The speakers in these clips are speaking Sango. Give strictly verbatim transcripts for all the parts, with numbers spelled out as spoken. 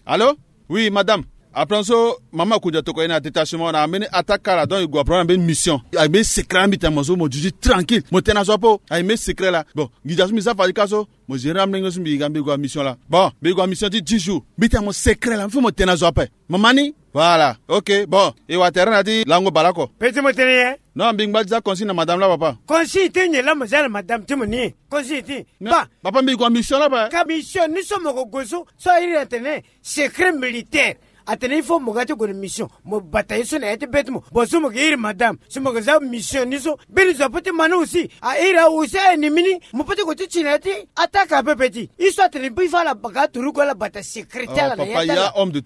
Allô? Oui, madame. Après so, mama Koudja toko ena détachement na mbeni attaque ala, donc il go apprendre mbeni mission. A mbeni secret ambi tena mo so mo juge tranquille. Mo tena so apo. A mbeni secret la. Bon, nginza so mbi sa fadi ka so, mo gérer amlenge so mbi ga mbi go a mission la. Bon, mbi go a mission ti dix jours. Mbi tena mo secret la, mbi fo mo tena so ape. Mama ni? Voilà. Ok, bon. E wa terrain na ti lango bale oko. Pe ti mo tene ye? Non, mbi ngba ti za consigne na madame la, papa. Consigne ti nyen la mo za na madame ti mo ni? Consigne ti. Ba. Papa, mbi go a mission la, ba. Ka mission ni so mo ko go so, so a iri atene secret militaire. Atene il faut mo ga ti gue na mission. Mo bata ye so na ya ti be ti mo. Bon, so mo ke iri madame. So mo ke za mission ni so. Mbeni zo ape ti ma ni aussi. A iri awe aussi a ennemi ni. Mo pe ti gue ti ti na ya ti attaque ape pe ti. Ye so atene mbi fo ala baka turugu ala bata secret ti ala na ya ti ala. Ka homme de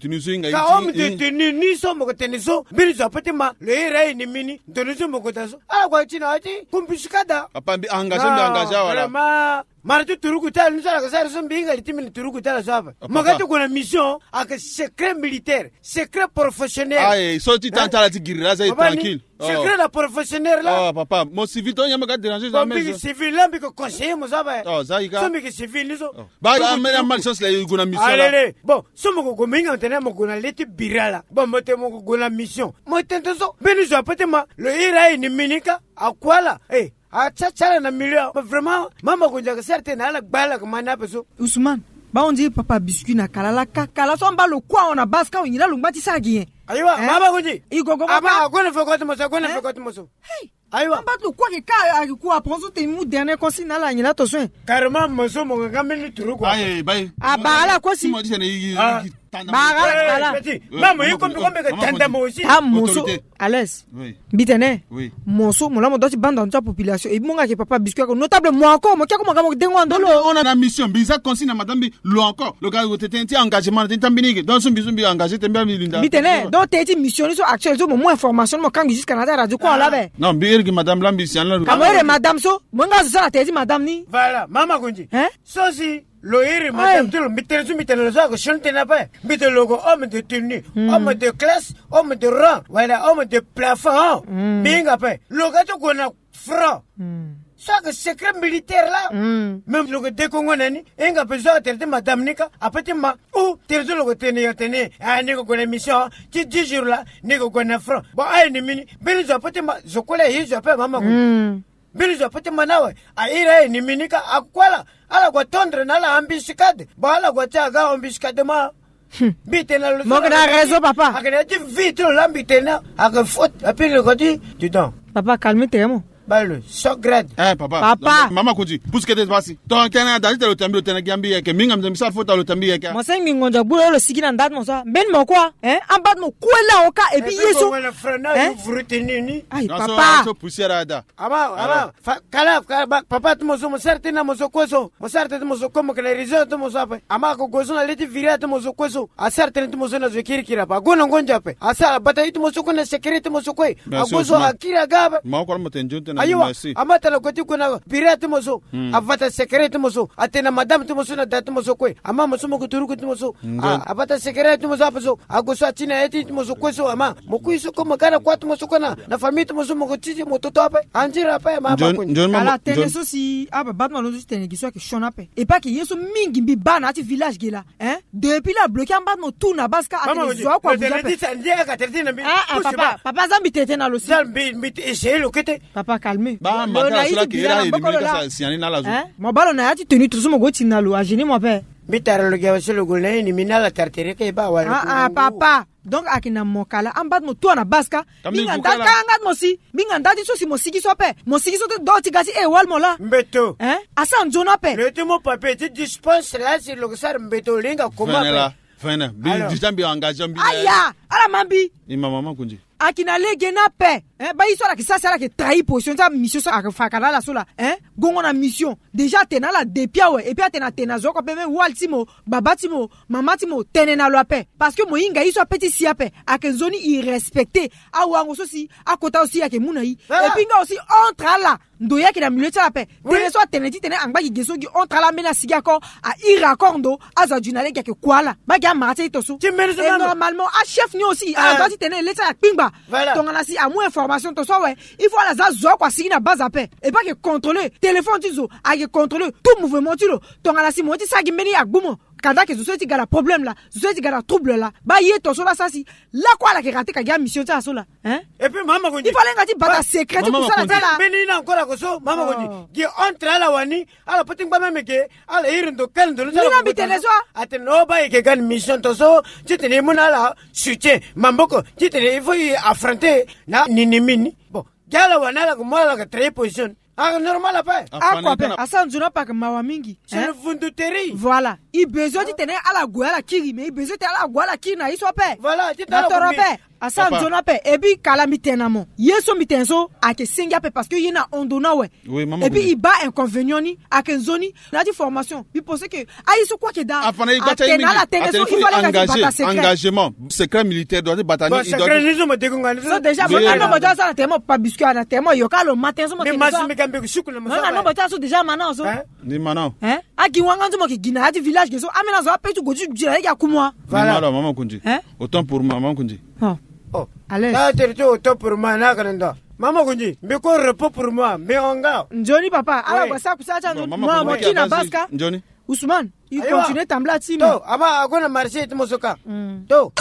tenue ni so mo ke tene so. Mbeni zo ape ti ma. Lo iri a ennemi ni. Ndo ni so mo ke daa so. Ala gue ti na ya ti embuscade. Papa, mbi engagé, mbi engagé awe la. Vraiment. Mara ti turugu ti ala ni so ala ke sara so mbi hinga li ti mbi na turugu ti ala so ape. Mo ga ti gue na mission, ayeke secret militaire, secret professionnel. Aye, so ti tanga ti ala ti giri la, ça y est, tranquille. Secret na professionnel la. Oh, papa, mo civil to, nyen mo ga déranger jamais. Mbi ke civil la, mbi ke conseiller mo so ape. Oh, za i ga. So mbi ke civil ni so. Ba, a mene malchance la, i gue na mission la. Alele. Bon, so mo ke gue, mo hinga mo tene mo gue na le ti biri ala. Bon, mo tene mo ke gue na mission. Mo tene so, mbeni zo ape ti ma, lo iri a ennemi ni ka, akua ala. Eh, A tsa tsa ala na milieu. Vraiment, mama Koudja ke sara tënë na ala gba ala ke ma ni ape so. Ousmane, ba on dirait papa Biscuit na kala la ka, kala so amba lo kue awe na base ka, nyen la lo ngba ti sara gi nyen? Ayiwa, mama Koudji. I gogo ma ka. Ague na feko ti mo so, ague na feko ti mo so. Hey. Ayiwa. Amba lo kue ayeke ka, ayeke kue, après so tene mu dernier consigne na ala, nyen la to so. Carrément, mo so mo ke nga mbeni turugu. Aye, baye. Abaa ala kue si. Mo ti tene i, i, i. Bara ala. Petit, mama, i kombi kombi ke tanda mo aussi. Ah, mo so. Autorité. À l'aise. Oui. Mbi tene. Oui. Mo so, mo la mo doit ti banda na ti apopulation. Et mbi mo nga ke papa Biscuit ako notable mo ako, mo ke ako mo ga mo dengo na ndo lo. On a la mission, mbi za consigne na madame mbi, lo encore. Lo ga lo tene ti engagement na tene ti mbi ni ke. Donc so mbi so mbi engagé tene mbi linda. Mbi tene, donc tene ti mission ni so actuel so mo mu information mo kangbi jusqu'à na ti radio ko la be. Non, mbi iri gi madame la mbi si an la. Ka mo iri madame so, mo nga zo sara tene ti madame ni. Voilà, mama Koudji. Hein? So si lo iri madame ti lo, mbi tene so mbi tene lo so ayeke sioni tënë ape. Mbi tene lo yeke homme de tenue, homme de classe, homme de rang, wala homme de plafond. Mbi hinga ape. Lo ga ti gue na front. So ayeke secret militaire la. Même lo yeke dekongo na ni. E hinga ape so ayeke tene ti madame ni ka. Ape ti ma. Ou tene so lo yeke tene yo tene. Ah, ni yeke gue na mission ti dix jours la. Ni yeke gue na front. Bon, a ennemi ni. Mbeni zo ape ti ma. Zo kue la ye zo ape mama Koudji. Mbeni zo ape ti ma ni awe. A iri a ennemi ni ka akue ala. Ala gue tondre na ala embuscade. Bon, ala gue ti aga embuscadement. Mbi tene na lo so. Mo yeke na raison, papa. Ayeke na ya ti vie ti lo la mbi tene. Ayeke faute. Ape lo gue ti. Dis donc. Papa, calme tes mots. Bale lo so grade. Eh, papa. Papa. Mama Koudji, pousse kete ti pasi. Ton tene na da ti tene lo tene mbi lo tene gi ambi yeke. Mbi hinga mbi tene mbi sara faute lo tene mbi yeke. Mo senge mbi ngonzo agbu lo lo sigi na nda ti mo so. Mbeni mo kue. Hein? Amba ti mo kue la oka et puis ye so. Hein? Aïe, papa. So poussière ada. Ama, ama, kala, kala, papa ti mo so, mo sara tënë na mo so kue so. Mo sara tënë ti mo so kue, mo yeke na réseau ti mo so ape. Ama ako gue so na le ti viri ti mo so kue so. Asara tënë ti mo so na zo kirikiri ape. Ague na ngonzo ape. Asara abata ye ti mo so kue na secret ti mo so kue. Ague so akiri aga ape. Ayiwa, ama tala gue ti gue na viri ti mo so. Abata secret ti mo so. Atene na madame ti mo so na da ti mo so kue. Ama mo so mo yeke turugu ti mo so. Abata secret ti mo so ape so. Ague so ati na ya ti mo so kue so ama. Mo kui so kue mo ga na kua ti mo so kue na, na famille ti mo so mo ko ti ti mo toto ape. Anziri ape mama Koudji. Ala tënë so si ababa ti mo alondo ti tene gi so ayeke sioni ape. E pas que ye so mingi mbi baa na ya ti village ge la. Hein? Depuis la bloqué amba ti mo tout na base ka atene zo oko abuze ape. Ah, ah, papa, papa, za mbi tene tënë na lo si. Za mbi, mbi essayer lo kete. Papa, calme. Lo na ye ti bira na boko lo la. Hein? Mo baa lo na ya ti tenue to so mo go ti na lo agêner mo ape. Mbi tara lo gi awe so lo gue na ye ni mbi na ala tara tere ka e baa wala. Ah, ah, papa. Donc ayeke na mo kala amba ti mo tout na base ka. Mbi hinga nda ti ka anga ti mo si. Mbi hinga nda ti so si mo sigi so ape. Mo sigi so ti do ti ga ti e wali mo la. Mbeto. Hein? Asara nzoni ape. Lo ye ti mo papier ti dispense la si lo ke sara mbeto lo hinga koma ape. Fene la. Fene. Mbi déjà mbi engagé mbi. Aya. Ala ma mbi. I ma mama Koudji. Ayeke na lege ni ape. Hein, baa ye so ala yeke sara si ala yeke trahi position ti amission so ala yeke fa ka na ala so la. Hein, gongo na mission. Déjà atene na ala depuis awe. Et puis atene atene na zo oko ape même wali ti mo, baba ti mo, mama ti mo, tene na lo ape. Parce que mo hinga ye so ape ti si ape. Ayeke nzoni irrespecté. Awango so si akota aussi ayeke mu na ye. Et puis nga aussi entre ala. Ndo ye ayeke na milieu ti ala ape. Tene so atene titene angba gi ge so gi entre ala ambeni asigi akor, ahiri akor ndo, azo aju na le gi ayeke kua ala. Baa gi amara ti aye to so. Ti mbeni so et normalement achef ni aussi ala doit titene le ti ala akpingba. Tongana si amu information to so awe, il faut ala za zo oko asigi na base ape. Et baa ayeke contrôler téléphone ti zo, ayeke contrôler tout mouvement ti lo. Tongana si mo ye ti sara gi mbeni agbu mo, kanda ayeke zo so ye ti ga na problème laa, zo so ye ti ga na trouble laa. Baa ye to so laa sara si lakue ala yeke rate ka gi amission ti ala so laa. Hein? Et puis mama ko ndi, il fallait nga ti bata secret ti kusala ti ala. Mbeni ni na encore ako so mama ko ndi gi entre ala wani, ala peut ti ngba même ke ala iri ndo kali ndo lo ti ala. Mbi na mbi tene so. Atene o baa e yeke ga na mission to so titene e mu na ala soutien, maboko titene il faut e affronter na nini mini. Bon, gi ala wani ala ko mu ala ka trahir position. Ah, normal ape. Akua ape, asara nzoni ape, ayeke mawa mingi. C'est le vunduterie. Voilà. E besoin titene ala gue ala kiri, mais e besoin titene ala gue ala kiri na ye so ape. Voilà, titene ala gue na toro ape. Asara nzoni ape. Et puis kala mbi tene na mo, ye so mbi tene so ayeke sengi ape, parce que ye na hon ndo ni awe. Et puis e baa inconvénient ni ayeke nzoni. Na ya ti formation mbi pense que aye so kue ayeke daa. Atene na ala tene so, il fallait nga ti bata secret. Engagement, secret militaire doit ti bata ni. So déjà mo na nombo ti ala so na tene mo pa biscuit na tene mo yoka lo matin so mo tene so. Non, na nombo ti ala so déjà mana so. Ni mana. Hein? Agi wanga nzo mo yeke gi na ya ti village ge so, amena zo ape ti gue ti gi na ye gi akumu. Voilà. Mama Kundi. Hein? Autant pour moi, mama Kundi. Oh. Allez. Ah, tere ti autant pour moi na kana ndo. Mama Kundi, mbi ko repos pour moi, mbi hon nga. Nzoni papa, ala gue sara kusala ti ando. Mama Kundi, mo kiri na base ka. Nzoni. Ousmane, il continue tambula ti mo. To, aba ague na marché ti mo so ka. To.